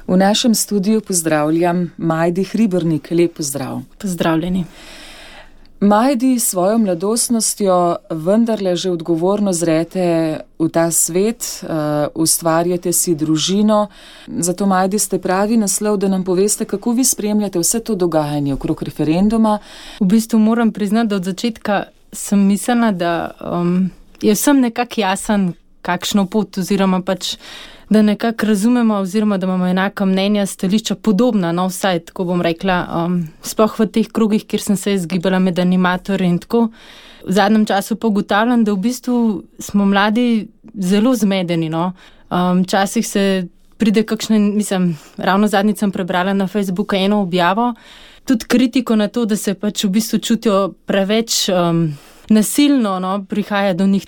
V našem studiu pozdravljam Majdi Hribernik. Lep pozdrav. Pozdravljeni. Majdi, s svojo mladostnostjo vendarle že odgovorno zrete v ta svet, ustvarjate si družino. Zato, Majdi, ste pravi naslov, da nam poveste, kako vi spremljate vse to dogajanje okrog referenduma. V bistvu moram priznati, da od začetka sem mislila, da je vsem nekako jasen, kakšno pot oziroma pač, da nekako razumemo oziroma da imamo enaka mnenja, stališča podobna, no vsaj, tako bom rekla, sploh v teh krogih, kjer sem se izgibala med animatorji in tako. V zadnjem času pa ugotavljam, da v bistvu smo mladi zelo zmedeni, no. Včasih se pride kakšne, ravno zadnjič sem prebrala na Facebooku eno objavo, tudi kritiko na to, da se pač v bistvu čutijo preveč nasilno, no, prihaja do njih.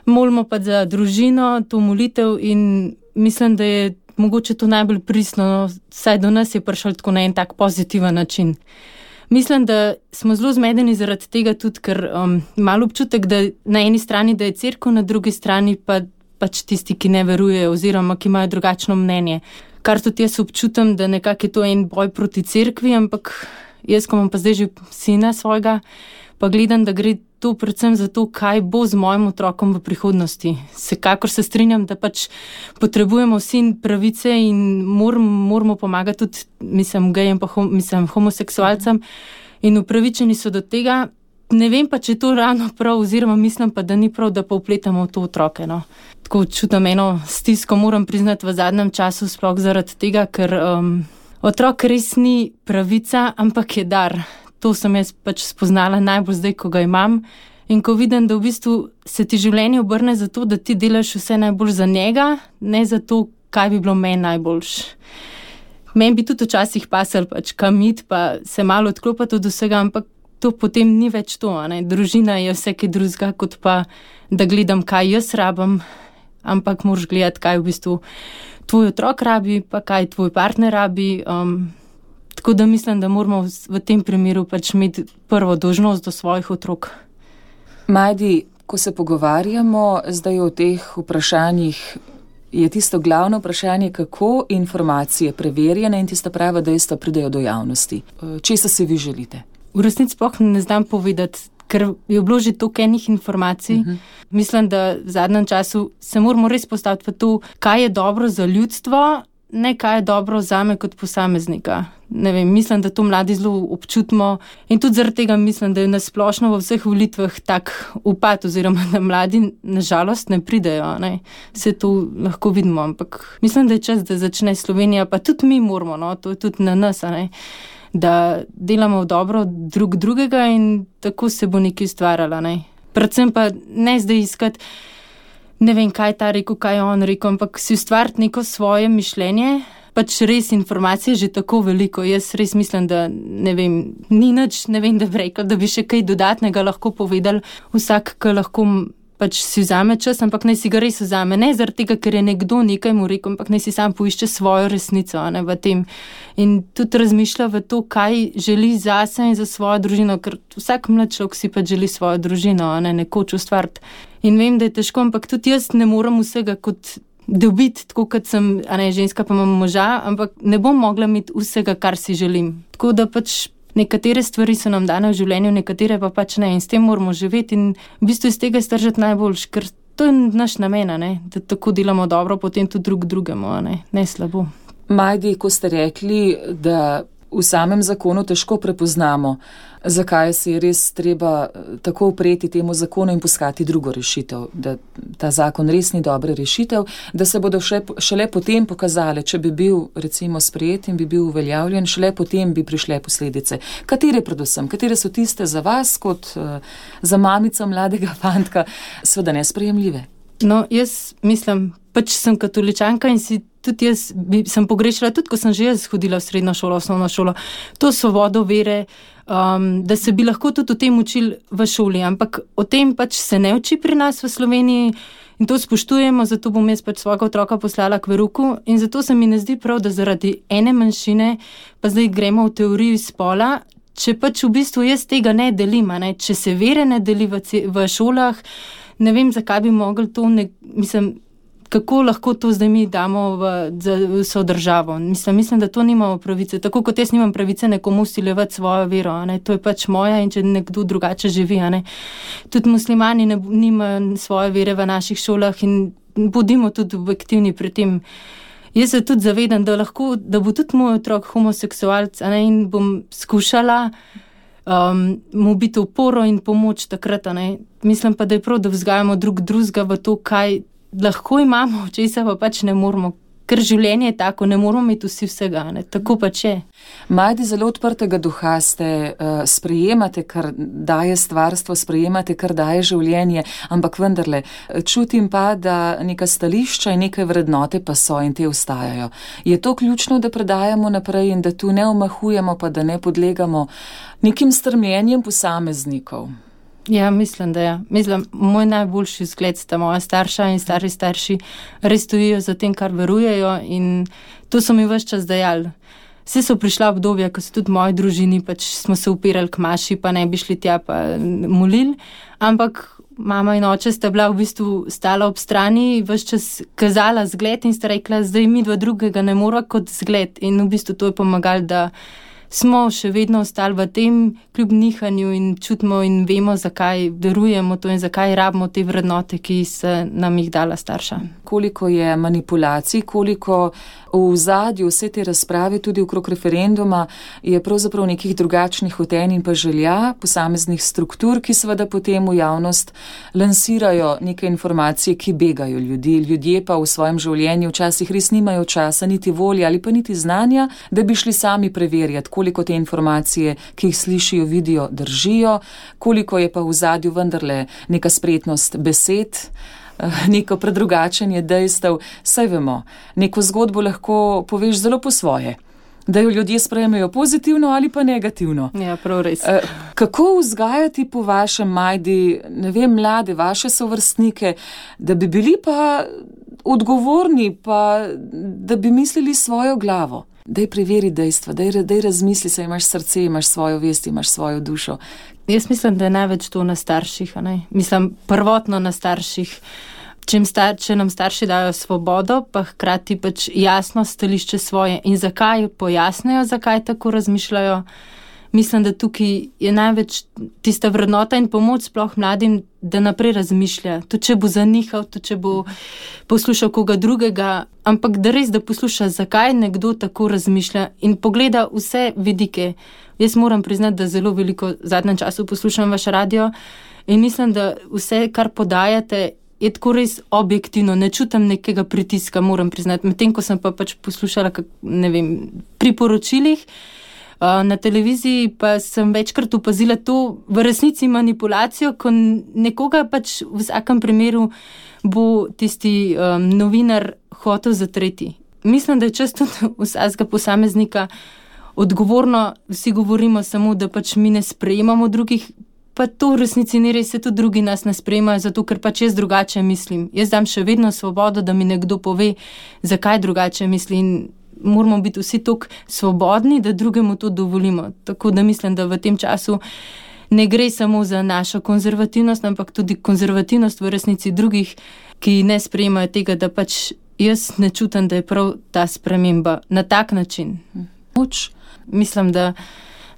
Molimo pa za družino, to molitev in mislim, da je mogoče to najbolj pristno, no, saj do nas je prišel tako na en tak pozitiven način. Mislim, da smo zelo zmedeni zaradi tega tudi, ker malo občutek, da na eni strani, da je cerkev, na drugi strani pa pač tisti, ki ne verujejo oziroma ki imajo drugačno mnenje. Kar tudi jaz občutam, da nekako je to en boj proti cerkvi, ampak jaz, ko imam pa zdaj že sina svojega, pa gledam, da gre to predvsem za to, kaj bo z mojim otrokom v prihodnosti. Vsekakor se strinjam, da pač potrebujemo vsi pravice in moramo pomagati tudi, gejem pa homoseksualcem in upravičeni so do tega. Ne vem pa, če je to ravno prav, oziroma mislim pa, da ni prav, da pa vpletamo v to otroke, no. Tako čutim eno stisko, moram priznati, v zadnjem času, sploh zaradi tega, ker otrok res ni pravica, ampak je dar. To sem jaz pač spoznala najbolj zdaj, ko ga imam. In ko vidim, da v bistvu se ti življenje obrne za to, da ti delaš vse najbolj za njega, ne za to, kaj bi bilo meni najboljš. Meni bi tudi včasih pasal pač kam iti, pa se malo odklopati od vsega, ampak to potem ni več to, ne. Družina je vse kaj drugega, kot pa da gledam, kaj jaz rabim, ampak moraš gledati, kaj v bistvu tvoj otrok rabi, pa kaj tvoj partner rabi. Tako da mislim, da moramo v tem primeru pač imeti prvo dolžnost do svojih otrok. Majdi, ko se pogovarjamo zdaj o teh vprašanjih, je tisto glavno vprašanje, kako informacije preverjene in tista prava dejstva pridejo do javnosti. Česa si vi želite? V resnici sploh ne znam povedati, ker je bilo že toliko enih informacij. Mislim, da v zadnjem času se moramo res postaviti v to, kaj je dobro za ljudstvo, ne kaj je dobro zame kot posameznika. Ne vem, mislim, da to mladi zelo občutimo in tudi zaradi tega mislim, da je nasplošno v vseh volitvah tak upad oziroma da mladi nažalost ne pridejo, ne. Vse to lahko vidimo, ampak mislim, da je čas, da začne Slovenija, pa tudi mi moramo, no, to je tudi na nas, ne, da delamo v dobro drug drugega in tako se bo nekaj ustvarjalo, ne. Predvsem pa ne zdaj iskati, ne vem, kaj je ta rekel, kaj je on rekel, ampak si ustvariti neko svoje mišljenje. Pač res informacije že tako veliko. Jaz res mislim, da ne vem, ni nič, ne vem, da bi rekel, da bi še kaj dodatnega lahko povedali. Vsak, ki lahko pač si vzame čas, ampak naj si ga res vzame. Ne zaradi tega, ker je nekdo nekaj mu rekel, ampak naj si sam poišče svojo resnico, ne, v tem. In tudi razmišlja v to, kaj želi zase in za svojo družino, ker vsak mlad človek si pač želi svojo družino, ne, nekoč ustvariti. In vem, da je težko, ampak tudi jaz ne morem vsega kot dobiti, tako kot sem, ženska pa imam moža, ampak ne bom mogla imeti vsega, kar si želim. Tako da pač nekatere stvari so nam dane v življenju, nekatere pa pač ne in s tem moramo živeti in v bistvu iz tega stržati najboljš, ker to je naš namen, ne, da tako delamo dobro, potem tudi drug drugemu, ne slabo. Majdi, ko ste rekli, da v samem zakonu težko prepoznamo, zakaj se je res treba tako upreti temu zakonu in poskati drugo rešitev, da ta zakon res ni dobra rešitev, da se bodo šele potem pokazale, če bi bil recimo sprejet in bi bil uveljavljen, šele potem bi prišle posledice. Katere predvsem? Katere so tiste za vas kot za mamico mladega fantka seveda nesprejemljive? No, jaz mislim, pač sem katoličanka in si tudi jaz sem pogrešala, tudi ko sem že jaz hodila v srednjo šolo, osnovno šolo, to svobodo vere, da se bi lahko tudi o tem učili v šoli, ampak o tem pač se ne uči pri nas v Sloveniji in to spoštujemo, zato bom jaz pač svojega otroka poslala k verouku in zato se mi ne zdi prav, da zaradi ene manjšine pa zdaj gremo v teoriji spola, če pač v bistvu jaz tega ne delim, ne? Če se vere ne deli v šolah, ne vem, zakaj bi mogli to, kako lahko to zdaj mi damo za vso državo. Mislim, da to nimamo pravice. Tako kot jaz nimam pravice nekomu usiljevati svojo vero. To je pač moja in če nekdo drugače živi. Tudi muslimani nimajo svoje vere v naših šolah in bodimo tudi objektivni pri tem. Jaz se tudi zavedam, da bo tudi moj otrok homoseksualc in bom skušala mu biti oporo in pomoč takrat. Mislim pa, da je prav, da vzgajamo drugega v to, kaj lahko imamo, česa pa pač ne moramo. Ker življenje je tako, ne moramo imeti vsi vsega, tako pač je. Majdi, zelo odprtega duha ste, sprejemate, kar daje stvarstvo, sprejemate, kar daje življenje, ampak vendarle, čutim pa, da neka stališča in neke vrednote pa so in te ostajajo. Je to ključno, da predajamo naprej in da tu ne omahujemo, pa da ne podlegamo nekim strmljenjem posameznikov? Ja, mislim, da ja. Moj najboljši vzgled sta moja starša in starši res stojijo za tem, kar verujejo in to so mi ves čas dajali. Vse so prišla obdobja, ko so tudi v moji družini, pač smo se upirali k maši, pa ne bi šli tja pa molili, ampak mama in oče sta bila v bistvu stala ob strani, ves čas kazala zgled in sta rekla, zdaj mi dva drugega ne mora kot zgled in v bistvu to je pomagalo, da smo še vedno ostali v tem kljub nihanju in čutimo in vemo, zakaj verujemo to in zakaj rabimo te vrednote, ki se nam jih dala starša. Koliko je manipulacij, koliko v ozadju vse te razprave, tudi okrog referenduma, je pravzaprav nekih drugačnih hotenj in pa želja posameznih struktur, ki seveda potem v javnost lansirajo neke informacije, ki begajo ljudi. Ljudje pa v svojem življenju včasih res nimajo časa, niti volje ali pa niti znanja, da bi šli sami preverjati, koliko te informacije, ki jih slišijo, vidijo, držijo, koliko je pa v ozadju vendarle neka spretnost besed, neko predrugačenje dejstev. Saj vemo, neko zgodbo lahko poveš zelo po svoje, da jo ljudje sprejmejo pozitivno ali pa negativno. Ja, prav res. Kako vzgajati po vašem, Majdi, ne vem, mlade, vaše sovrstnike, da bi bili pa odgovorni, pa da bi mislili svojo glavo? Daj preveri dejstva, daj razmisli se, imaš srce, imaš svojo vest, imaš svojo dušo. Jaz mislim, da je največ to na starših, Mislim, prvotno na starših. Če nam starši dajo svobodo, pa hkrati pač jasno stališče svoje in zakaj pojasnejo, zakaj tako razmišljajo. Mislim, da tukaj je največ tista vrednota in pomoč sploh mladim, da naprej razmišlja. To, če bo zanihal, to, če bo poslušal koga drugega, ampak da res, da posluša, zakaj nekdo tako razmišlja in pogleda vse vidike. Jaz moram priznati, da zelo veliko v zadnjem času poslušam vaš radio in mislim, da vse, kar podajate, je tako res objektivno. Ne čutim nekega pritiska, moram priznati. Medtem, ko sem pa pač poslušala, pri poročilih, na televiziji pa sem večkrat opazila to v resnici manipulacijo, ko nekoga pač v vsakem primeru bo tisti novinar hotel zatreti. Mislim, da je čas tudi vsakega posameznika odgovorno, vsi govorimo samo, da pač mi ne sprejemamo drugih, pa to v resnici ni res, se tudi drugi nas ne sprejemajo, zato ker pač jaz drugače mislim. Jaz dam še vedno svobodo, da mi nekdo pove, zakaj drugače misli in moramo biti vsi toliko svobodni, da drugemu to dovolimo. Tako da mislim, da v tem času ne gre samo za našo konzervativnost, ampak tudi konzervativnost v resnici drugih, ki ne sprejemajo tega, da pač jaz ne čutim, da je prav ta sprememba na tak način. Mislim, da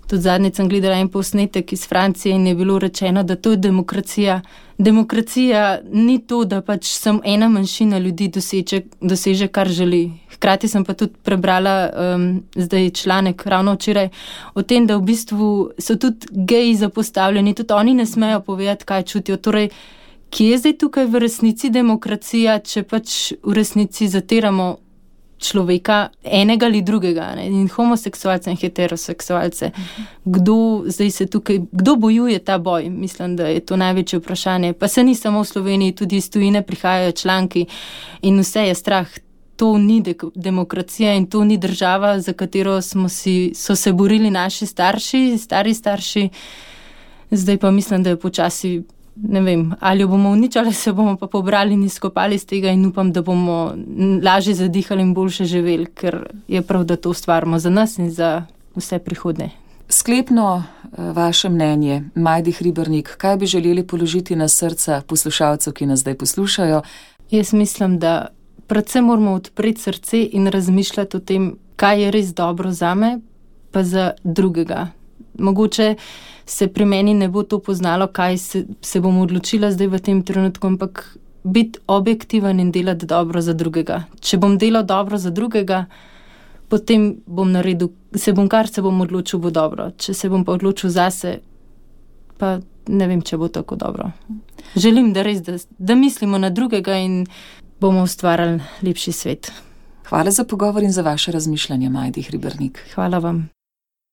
tudi zadnjič sem gledala en posnetek iz Francije in je bilo rečeno, da to je demokracija. Demokracija ni to, da pač sem ena manjšina ljudi doseže, kar želi. Hkrati sem pa tudi prebrala zdaj članek ravno včeraj o tem, da v bistvu so tudi geji zapostavljeni, tudi oni ne smejo povedati, kaj čutijo. Torej, kje je zdaj tukaj v resnici demokracija, če pač v resnici zatiramo človeka, enega ali drugega, in homoseksualce in heteroseksualce. Kdo bojuje ta boj? Mislim, da je to največje vprašanje. Pa se ni samo v Sloveniji, tudi iz tujine prihajajo članki in vse je strah. To ni demokracija in to ni država, za katero so se borili naši stari starši. Zdaj pa mislim, da je počasi, ne vem, ali jo bomo uničali, se bomo pa pobrali in izkopali z tega in upam, da bomo lažje zadihali in boljše živeli, ker je prav, da to ustvarimo za nas in za vse prihodne. Sklepno vaše mnenje, Majdi Hribernik, kaj bi želeli položiti na srca poslušalcev, ki nas zdaj poslušajo? Jaz mislim, da predvsem moramo odpreti srce in razmišljati o tem, kaj je res dobro zame, pa za drugega. Mogoče se pri meni ne bo to poznalo, kaj se bom odločila zdaj v tem trenutku, ampak biti objektiven in delati dobro za drugega. Če bom delal dobro za drugega, potem bom naredil, se bom odločil, bo dobro. Če se bom pa odločil zase, pa ne vem, če bo tako dobro. Želim, da mislimo na drugega in bomo ustvarjali lepši svet. Hvala za pogovor in za vaše razmišljanje, Majdi Hribernik. Hvala vam.